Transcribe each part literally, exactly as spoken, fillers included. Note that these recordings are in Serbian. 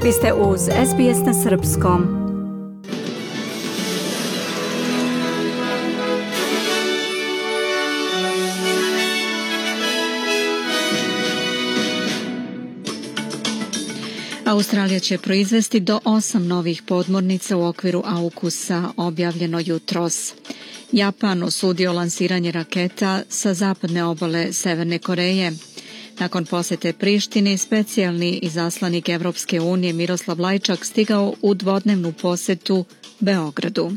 Vi ste uz S B S na srpskom. Australija će proizvesti do osam novih podmornica u okviru AUKUS-a, objavljeno jutros. Japan osudio lansiranje raketa sa zapadne obale Severne Koreje. Nakon posete Prištini, specijalni izaslanik Evropske unije Miroslav Lajčak stigao u dvodnevnu posetu Beogradu.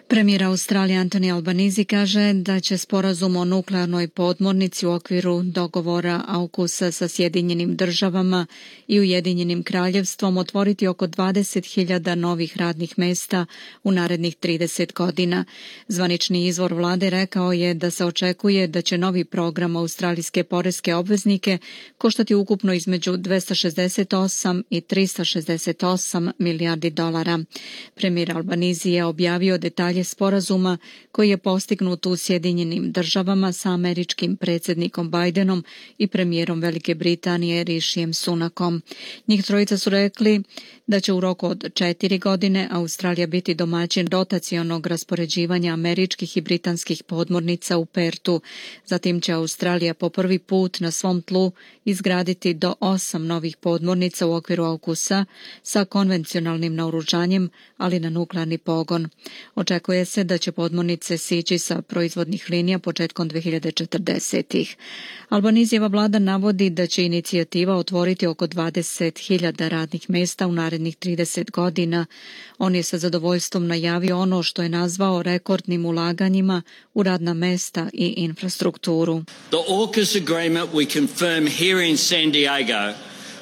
Premijer Australije Anthony Albanese kaže da će sporazum o nuklearnoj podmornici u okviru dogovora AUKUS-a sa Sjedinjenim državama i Ujedinjenim kraljevstvom otvoriti oko dvadeset hiljada novih radnih mesta u narednih trideset godina. Zvanični izvor vlade rekao je da se očekuje da će novi program australijske poreske obveznike koštati ukupno između dvesta šezdeset osam i trista šezdeset osam milijardi dolara. Premijer Albanese je objavio detalje sporazuma koji je postignut u Sjedinjenim državama sa američkim predsjednikom Bidenom i premijerom Velike Britanije Rishijem Sunakom. Njih trojica su rekli da će u roku od četiri godine Australija biti domaćin rotacionog raspoređivanja američkih i britanskih podmornica u Pertu. Zatim će Australija po prvi put na svom tlu izgraditi do osam novih podmornica u okviru AUKUS-a sa konvencionalnim naoružanjem, ali na nuklearni pogon. Očekuje se da će podmornice sići sa proizvodnih linija početkom dve hiljade četrdesetih. Albanizijeva vlada navodi da će inicijativa otvoriti oko dvadeset hiljada radnih mesta u narednih trideset godina. On je sa zadovoljstvom najavio ono što je nazvao rekordnim ulaganjima u radna mesta i infrastrukturu. The AUKUS agreement we confirm here in San Diego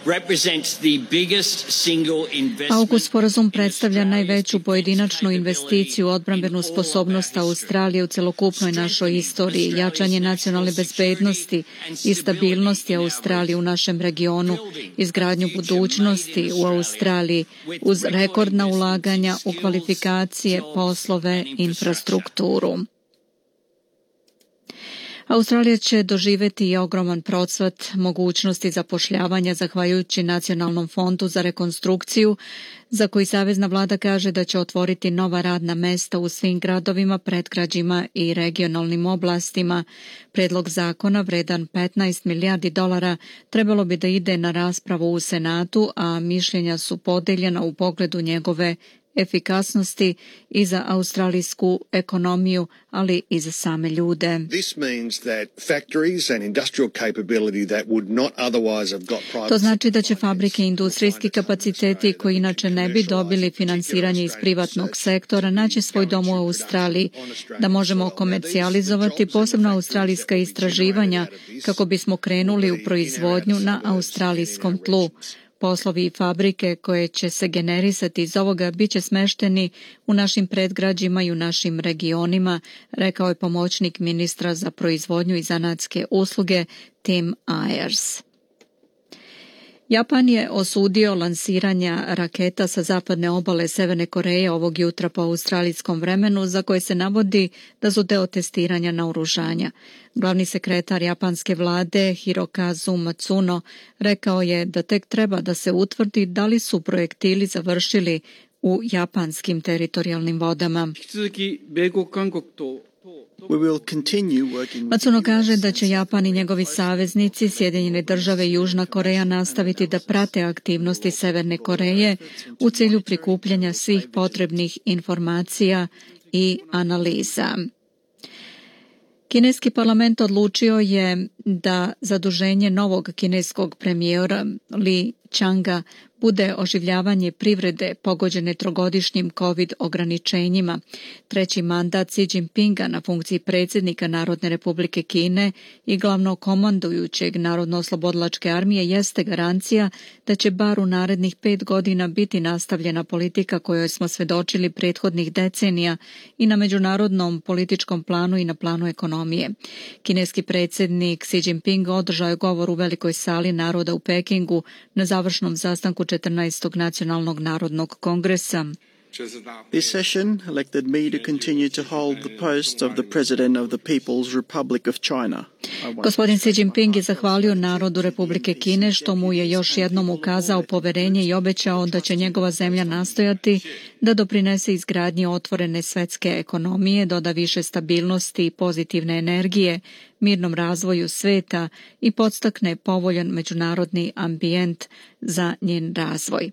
represents the biggest single investment. AUKUS sporazum predstavlja najveću pojedinačnu investiciju u odbrambenu sposobnost Australije u celokupnoj našoj istoriji, jačanje nacionalne bezbednosti i stabilnosti Australije u našem regionu, izgradnju budućnosti u Australiji uz rekordna ulaganja u kvalifikacije, poslove, infrastrukturu. Australija će doživjeti i ogroman procvat mogućnosti zapošljavanja zahvaljujući Nacionalnom fondu za rekonstrukciju, za koji savezna vlada kaže da će otvoriti nova radna mesta u svim gradovima, predgrađima i regionalnim oblastima. Predlog zakona vredan petnaest milijardi dolara trebalo bi da ide na raspravu u Senatu, a mišljenja su podeljena u pogledu njegove efikasnosti i za australijsku ekonomiju, ali i za same ljude. To znači da će fabrike i industrijski kapaciteti koji inače ne bi dobili finansiranje iz privatnog sektora naći svoj dom u Australiji, da možemo komercijalizovati posebno australijska istraživanja kako bismo krenuli u proizvodnju na australijskom tlu. Poslovi i fabrike koje će se generisati iz ovoga bit će smešteni u našim predgrađima i u našim regionima, rekao je pomoćnik ministra za proizvodnju i zanatske usluge Tim Ayers. Japan je osudio lansiranja raketa sa zapadne obale Severne Koreje ovog jutra po australijskom vremenu, za koje se navodi da su deo testiranja naoružanja. Glavni sekretar japanske vlade Hirokazu Matsuno rekao je da tek treba da se utvrdi da li su projektili završili u japanskim teritorijalnim vodama. Matsuno kaže da će Japan i njegovi saveznici, Sjedinjene države i Južna Koreja, nastaviti da prate aktivnosti Severne Koreje u cilju prikupljanja svih potrebnih informacija i analiza. Kineski parlament odlučio je da zaduženje novog kineskog premijera Li Changa bude oživljavanje privrede pogođene trogodišnjim COVID ograničenjima. Treći mandat Xi Jinpinga na funkciji predsjednika Narodne republike Kine i glavnokomandujućeg Narodno-oslobodilačke armije jeste garancija da će bar u narednih pet godina biti nastavljena politika kojoj smo svedočili prethodnih decenija i na međunarodnom političkom planu i na planu ekonomije. Kineski predsjednik Xi Jinping održao je govor u Velikoj sali naroda u Pekingu na završnom sastanku četrnaestog nacionalnog narodnog kongresa. This session elected me to continue to hold the post of the President of the People's Republic of China. Gospodin Xi Jinping je zahvalio narodu Republike Kine što mu je još jednom ukazao poverenje i obećao da će njegova zemlja nastojati da doprinese izgradnji otvorene svetske ekonomije, doda više stabilnosti i pozitivne energije, mirnom razvoju sveta i podstakne povoljan međunarodni ambijent za njen razvoj.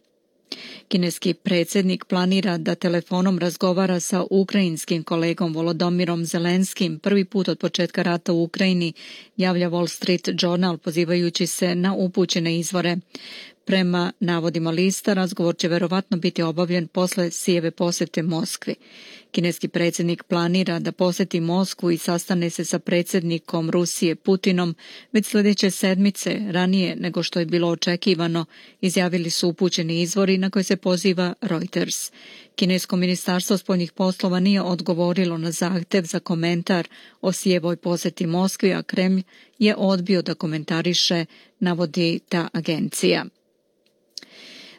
Kineski predsjednik planira da telefonom razgovara sa ukrajinskim kolegom Volodomirom Zelenskim prvi put od početka rata u Ukrajini, javlja Wall Street Journal pozivajući se na upućene izvore. Prema navodima lista, razgovor će verovatno biti obavljen posle Xieve posete Moskvi. Kineski predsjednik planira da poseti Moskvu i sastane se sa predsjednikom Rusije Putinom već sljedeće sedmice, ranije nego što je bilo očekivano, izjavili su upućeni izvori na koje se poziva Reuters. Kinesko ministarstvo spoljnih poslova nije odgovorilo na zahtev za komentar o Xievoj poseti Moskvi, a Kremlj je odbio da komentariše, navodi ta agencija.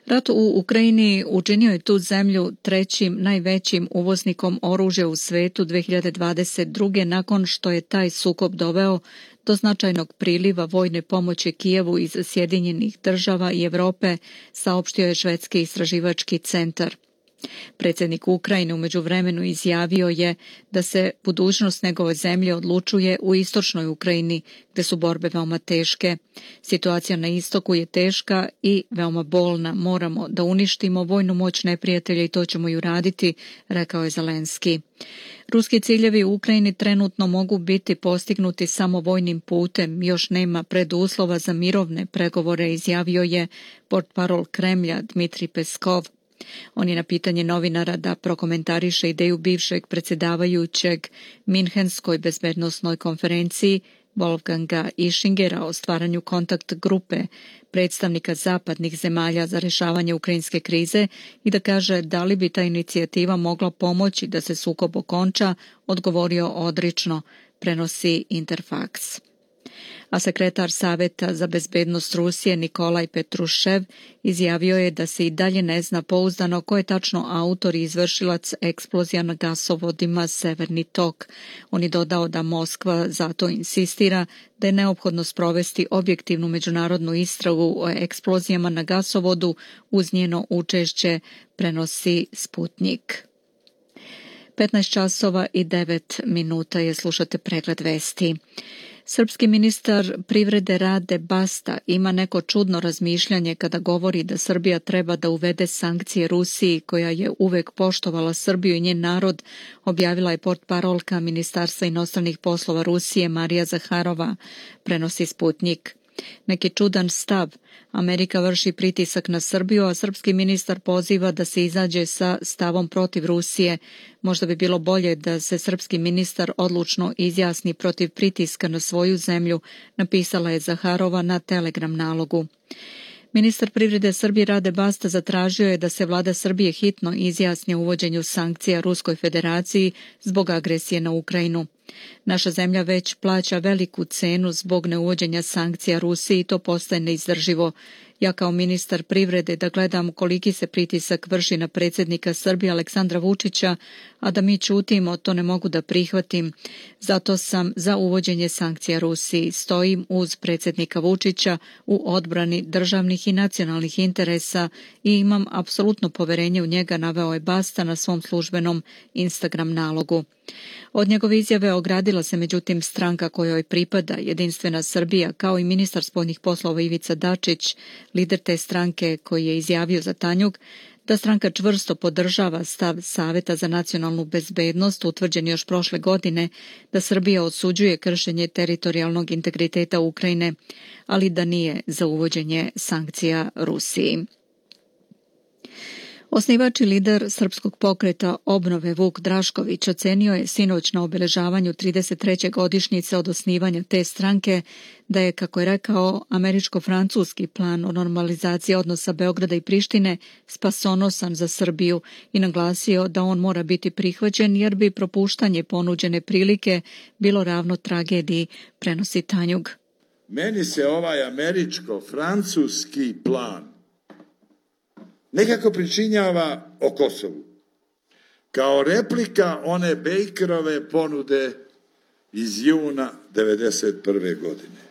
Rat u Ukrajini učinio je tu zemlju trećim najvećim uvoznikom oružja u svetu dve hiljade dvadeset druge nakon što je taj sukob doveo do značajnog priliva vojne pomoći Kijevu iz Sjedinjenih država i Europe, saopštio je švedski istraživački centar. Predsjednik Ukrajine u međuvremenu izjavio je da se budućnost njegove zemlje odlučuje u istočnoj Ukrajini, gdje su borbe veoma teške. Situacija na istoku je teška i veoma bolna. Moramo da uništimo vojnu moć neprijatelja i to ćemo i uraditi, rekao je Zelenski. Ruski ciljevi u Ukrajini trenutno mogu biti postignuti samo vojnim putem. Još nema preduslova za mirovne pregovore, izjavio je portparol Kremlja Dmitrij Peskov. On je na pitanje novinara da prokomentariše ideju bivšeg predsjedavajućeg Minhenskoj bezbednosnoj konferenciji Wolfganga Ischingera o stvaranju kontakt grupe predstavnika zapadnih zemalja za rješavanje ukrajinske krize i da kaže da li bi ta inicijativa mogla pomoći da se sukob okonča, odgovorio odrično, prenosi Interfax. A sekretar Saveta za bezbednost Rusije Nikolaj Petrušev izjavio je da se i dalje ne zna pouzdano ko je tačno autor i izvršilac eksplozija na gasovodima Severni tok. On je dodao da Moskva zato insistira da je neophodno sprovesti objektivnu međunarodnu istragu o eksplozijama na gasovodu uz njeno učešće, prenosi Sputnik. petnaest časova i devet minuta je, slušate pregled vesti. Srpski ministar privrede Rade Basta ima neko čudno razmišljanje kada govori da Srbija treba da uvede sankcije Rusiji, koja je uvek poštovala Srbiju i njen narod, objavila je portparolka Ministarstva inostranih poslova Rusije Marija Zaharova, prenosi Sputnik. Neki čudan stav. Amerika vrši pritisak na Srbiju, a srpski ministar poziva da se izađe sa stavom protiv Rusije. Možda bi bilo bolje da se srpski ministar odlučno izjasni protiv pritiska na svoju zemlju, napisala je Zaharova na Telegram nalogu. Ministar privrede Srbije Rade Basta zatražio je da se vlada Srbije hitno izjasni o uvođenju sankcija Ruskoj federaciji zbog agresije na Ukrajinu. Naša zemlja već plaća veliku cenu zbog neuvođenja sankcija Rusiji i to postaje neizdrživo. Ja kao ministar privrede da gledam koliki se pritisak vrši na predsjednika Srbije Aleksandra Vučića, a da mi ćutimo, to ne mogu da prihvatim. Zato sam za uvođenje sankcija Rusiji. Stojim uz predsjednika Vučića u odbrani državnih i nacionalnih interesa i imam apsolutno poverenje u njega, naveo je Basta na svom službenom Instagram nalogu. Od njegove izjave ogradila se međutim stranka kojoj pripada Jedinstvena Srbija, kao i ministar spoljnih poslova Ivica Dačić, lider te stranke, koji je izjavio za Tanjug da stranka čvrsto podržava stav Saveta za nacionalnu bezbednost, utvrđen još prošle godine, da Srbija osuđuje kršenje teritorijalnog integriteta Ukrajine, ali da nije za uvođenje sankcija Rusiji. Osnivač i lider Srpskog pokreta obnove Vuk Drašković ocenio je sinoć na obeležavanju trideset treće godišnjice od osnivanja te stranke da je, kako je rekao, američko-francuski plan o normalizaciji odnosa Beograda i Prištine spasonosan za Srbiju i naglasio da on mora biti prihvaćen jer bi propuštanje ponuđene prilike bilo ravno tragediji, prenosi Tanjug. Meni se ovaj američko-francuski plan nekako pričinjava o Kosovu. kao replika one Bakerove ponude iz juna devedeset prve godine.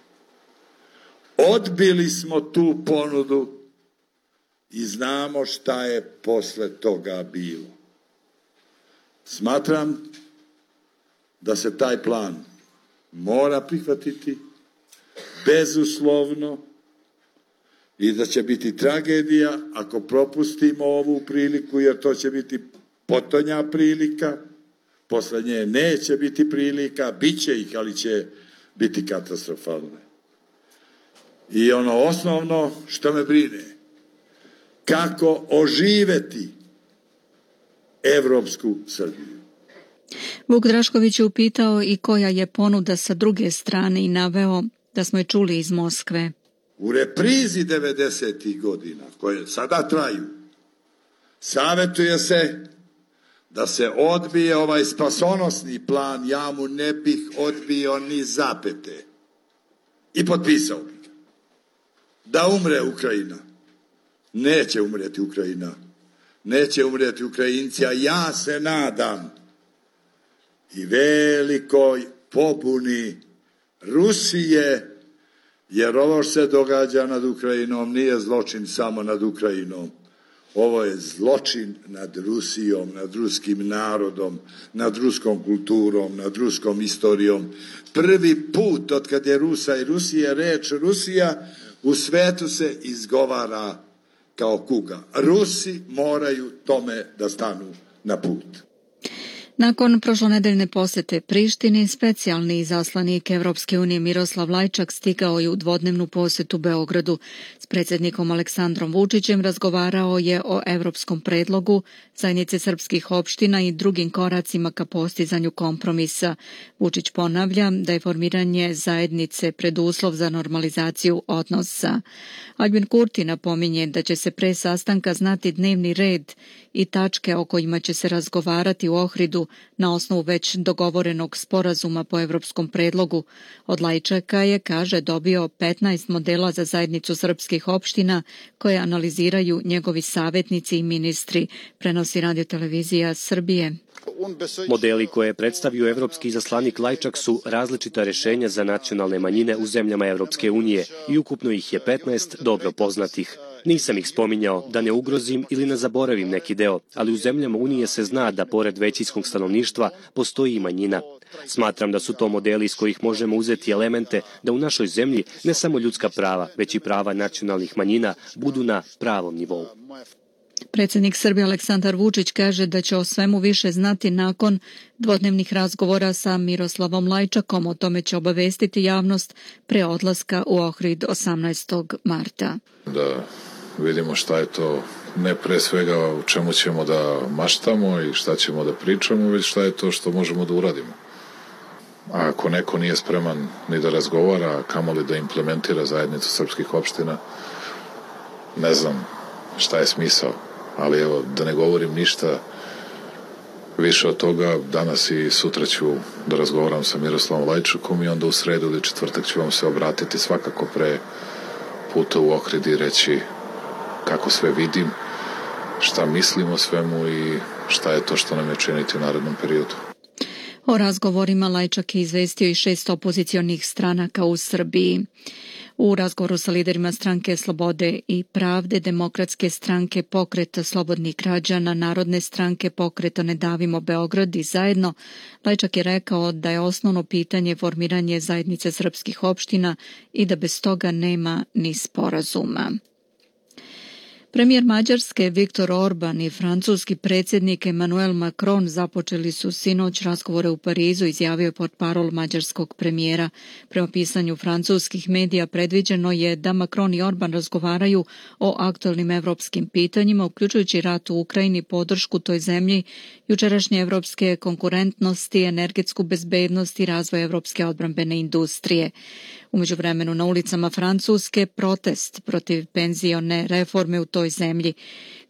Odbili smo tu ponudu i znamo šta je posle toga bilo. Smatram da se taj plan mora prihvatiti bezuslovno i da će biti tragedija ako propustimo ovu priliku, jer to će biti potonja prilika, posle nje neće biti prilika, bit će ih, ali će biti katastrofalne. I ono osnovno što me brine, kako oživeti evropsku Srbiju. Vuk Drašković je upitao i koja je ponuda sa druge strane i naveo da smo je čuli iz Moskve. U reprizi devedesetih godina, koje sada traju, savjetuje se da se odbije ovaj spasonosni plan, ja mu ne bih odbio ni zapete. I potpisao bih ga. Da umre Ukrajina. Neće umreti Ukrajina. Neće umreti Ukrajinci, a ja se nadam i velikoj pobuni Rusije, jer ovo što se događa nad Ukrajinom nije zločin samo nad Ukrajinom. Ovo je zločin nad Rusijom, nad ruskim narodom, nad ruskom kulturom, nad ruskom istorijom. Prvi put od kad je Rusa i Rusija, reč Rusija u svetu se izgovara kao kuga. Rusi moraju tome da stanu na put. Nakon prošlonedeljne posete Prištini, specijalni izaslanik Evropske unije Miroslav Lajčak stigao je u dvodnevnu posetu Beogradu. S predsjednikom Aleksandrom Vučićem razgovarao je o evropskom predlogu, zajednice srpskih opština i drugim koracima ka postizanju kompromisa. Vučić ponavlja da je formiranje zajednice preduslov za normalizaciju odnosa. Albin Kurti napominje da će se pre sastanka znati dnevni red i tačke o kojima će se razgovarati u Ohridu na osnovu već dogovorenog sporazuma po evropskom predlogu. Od Lajčaka je, kaže, dobio petnaest modela za zajednicu srpskih opština koje analiziraju njegovi savjetnici i ministri, prenosi Radio-televizija Srbije. Modeli koje je predstavio evropski izaslanik Lajčak su različita rješenja za nacionalne manjine u zemljama Evropske unije i ukupno ih je petnaest dobro poznatih. Nisam ih spominjao da ne ugrozim ili ne zaboravim neki deo, ali u zemljama Unije se zna da pored većinskog stanovništva postoji i manjina. Smatram da su to modeli iz kojih možemo uzeti elemente da u našoj zemlji ne samo ljudska prava, već i prava nacionalnih manjina budu na pravom nivou. Predsjednik Srbije Aleksandar Vučić kaže da će o svemu više znati nakon dvodnevnih razgovora sa Miroslavom Lajčakom. O tome će obavestiti javnost pre odlaska u Ohrid osamnaestog marta. Da vidimo šta je to, ne pre svega u čemu ćemo da maštamo i šta ćemo da pričamo, već šta je to što možemo da uradimo. A ako neko nije spreman ni da razgovara, kamoli da implementira zajednicu srpskih opština, ne znam šta je smisao. Ali evo, da ne govorim ništa više od toga, danas i sutra ću da razgovaram sa Miroslavom Lajčakom i onda u sredu ili četvrtak ću vam se obratiti svakako pre puta u Ohrid i reći kako sve vidim, šta mislim o svemu i šta je to što nam je činiti u narednom periodu. O razgovorima Lajčak je izvestio i šest opozicionih stranaka u Srbiji. U razgovoru sa liderima stranke Slobode i pravde, Demokratske stranke, Pokreta slobodnih građana, Narodne stranke, Pokreta Ne davimo Beograd i Zajedno, Lajčak je rekao da je osnovno pitanje formiranje zajednice srpskih opština i da bez toga nema ni sporazuma. Premijer Mađarske Viktor Orban i francuski predsjednik Emmanuel Macron započeli su sinoć razgovore u Parizu, izjavio je portparol mađarskog premijera. Prema pisanju francuskih medija predviđeno je da Macron i Orban razgovaraju o aktualnim evropskim pitanjima, uključujući rat u Ukrajini, podršku toj zemlji, jučerašnje evropske konkurentnosti, energetsku bezbednost i razvoj evropske odbrambene industrije. U međuvremenu na ulicama Francuske protest protiv penzione reforme u toj zemlji.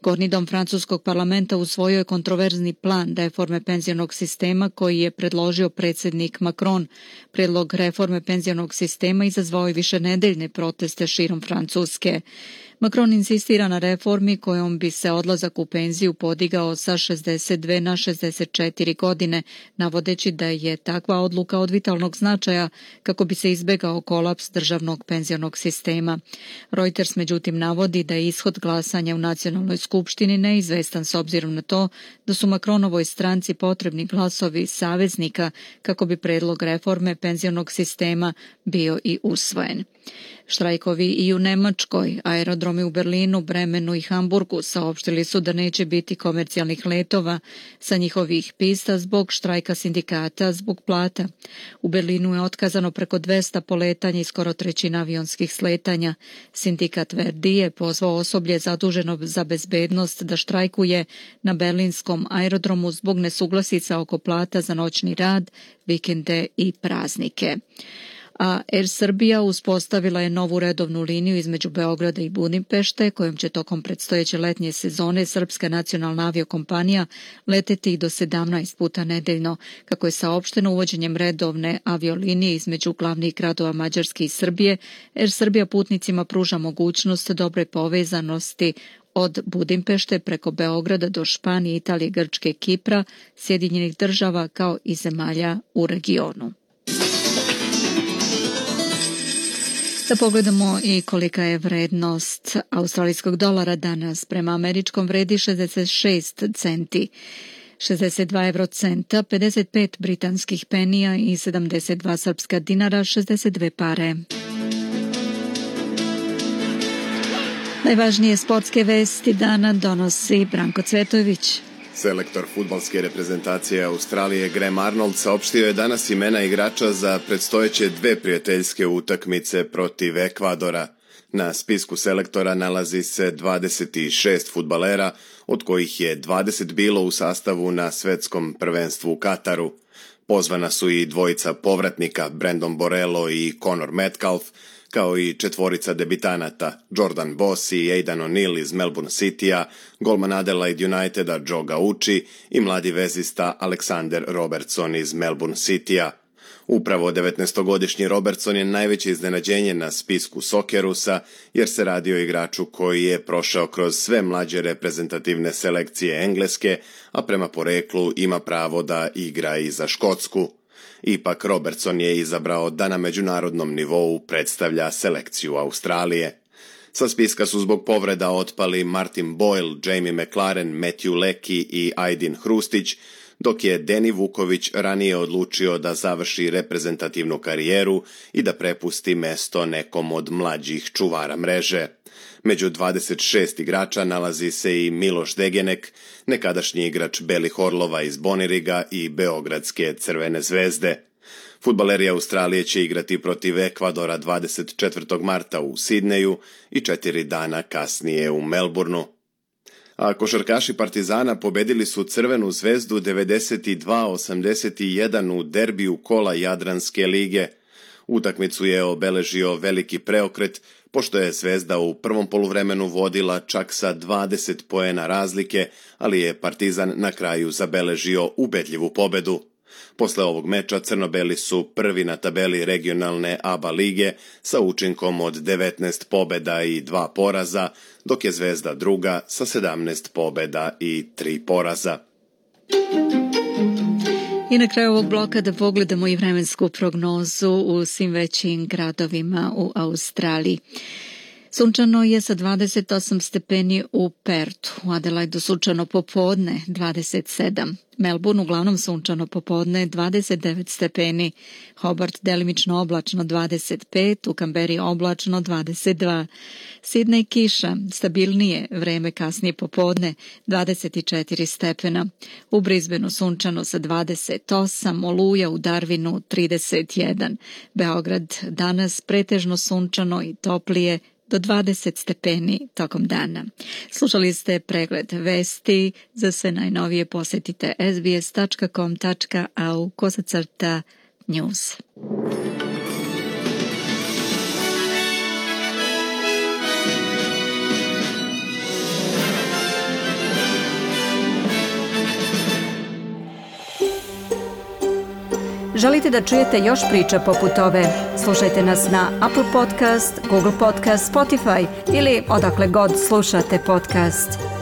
Gornji dom francuskog parlamenta usvojio je kontroverzni plan reforme penzionog sistema koji je predložio predsjednik Macron. Predlog reforme penzionog sistema izazvao je višenedeljne proteste širom Francuske. Macron insistira na reformi kojom bi se odlazak u penziju podigao sa šezdeset dve na šezdeset četiri godine, navodeći da je takva odluka od vitalnog značaja kako bi se izbegao kolaps državnog penzionog sistema. Reuters međutim navodi da je ishod glasanja u nacionalnoj skupštini neizvestan s obzirom na to da su Macronovoj stranci potrebni glasovi saveznika kako bi predlog reforme penzionog sistema bio i usvojen. Štrajkovi i u Nemačkoj, aerodromi u Berlinu, Bremenu i Hamburgu saopštili su da neće biti komercijalnih letova sa njihovih pista zbog štrajka sindikata zbog plata. U Berlinu je otkazano preko dvesta poletanja i skoro trećina avionskih sletanja. Sindikat Verdi je pozvao osoblje zaduženo za bezbednost da štrajkuje na berlinskom aerodromu zbog nesuglasica oko plata za noćni rad, vikende i praznike. A Air Srbija uspostavila je novu redovnu liniju između Beograda i Budimpešte, kojom će tokom predstojeće letnje sezone srpska nacionalna aviokompanija leteti do sedamnaest puta nedeljno. Kako je saopšteno uvođenjem redovne aviolinije između glavnih gradova Mađarske i Srbije, Air Srbija putnicima pruža mogućnost dobre povezanosti od Budimpešte preko Beograda do Španije, Italije, Grčke, Kipra, Sjedinjenih država kao i zemalja u regionu. Da pogledamo i kolika je vrednost australijskog dolara danas. Prema američkom vredi šezdeset šest centi, šezdeset dva evrocenta, pedeset pet britanskih penija i sedamdeset dva srpska dinara, šezdeset dve pare. Najvažnije sportske vesti dana donosi Branko Cvetović. Selektor fudbalske reprezentacije Australije Graham Arnold saopštio je danas imena igrača za predstojeće dve prijateljske utakmice protiv Ekvadora. Na spisku selektora nalazi se dvadeset šest fudbalera, od kojih je dvadeset bilo u sastavu na svetskom prvenstvu u Kataru. Pozvana su i dvojica povratnika Brandon Borello i Conor Metcalf, kao i četvorica debitanata Jordan Boss i Aidan O'Neill iz Melbourne Citya, golman Adelaide Uniteda Joe Gauci i mladi vezista Alexander Robertson iz Melbourne Citya. Upravo devetnaestogodišnji Robertson je najveće iznenađenje na spisku Soccerusa, jer se radi o igraču koji je prošao kroz sve mlađe reprezentativne selekcije Engleske, a prema poreklu ima pravo da igra i za Škotsku. Ipak Robertson je izabrao da na međunarodnom nivou predstavlja selekciju Australije. Sa spiska su zbog povreda otpali Martin Boyle, Jamie McLaren, Matthew Leckie i Aydin Hrustić, dok je Deni Vuković ranije odlučio da završi reprezentativnu karijeru i da prepusti mesto nekom od mlađih čuvara mreže. Među dvadeset šest igrača nalazi se i Miloš Degenek, nekadašnji igrač Belih Orlova iz Boniriga i Beogradske Crvene zvezde. Fudbaleri Australije će igrati protiv Ekvadora dvadeset četvrtog marta u Sidneju i četiri dana kasnije u Melbourneu. A košarkaši Partizana pobedili su Crvenu zvezdu devedeset dva osamdeset jedan u derbiju kola Jadranske lige. Utakmicu je obeležio veliki preokret, pošto je Zvezda u prvom poluvremenu vodila čak sa dvadeset poena razlike, ali je Partizan na kraju zabeležio ubedljivu pobedu. Posle ovog meča crno-beli su prvi na tabeli regionalne A B A lige sa učinkom od devetnaest pobeda i dva poraza, dok je Zvezda druga sa sedamnaest pobeda i tri poraza. I na kraju ovog bloka da pogledamo i vremensku prognozu u svim većim gradovima u Australiji. Sunčano je sa dvadeset osam stepeni u Pertu, u Adelaidu sunčano popodne dvadeset sedam, Melbourne uglavnom sunčano popodne dvadeset devet stepeni, Hobart delimično oblačno dvadeset pet, u Kamberi oblačno dvadeset dva, Sidney kiša, stabilnije vreme kasnije popodne dvadeset četiri stepena, u Brisbaneu sunčano sa dvadeset osam, Oluja u Darwinu trideset jedan, Beograd danas pretežno sunčano i toplije do dvadeset stepeni tokom dana. Slušali ste pregled vesti. Za sve najnovije posjetite s b s tačka com tačka a u kosacrta news. Želite da čujete još priča poput ove? Slušajte nas na Apple Podcast, Google Podcast, Spotify ili odakle god slušate podcast.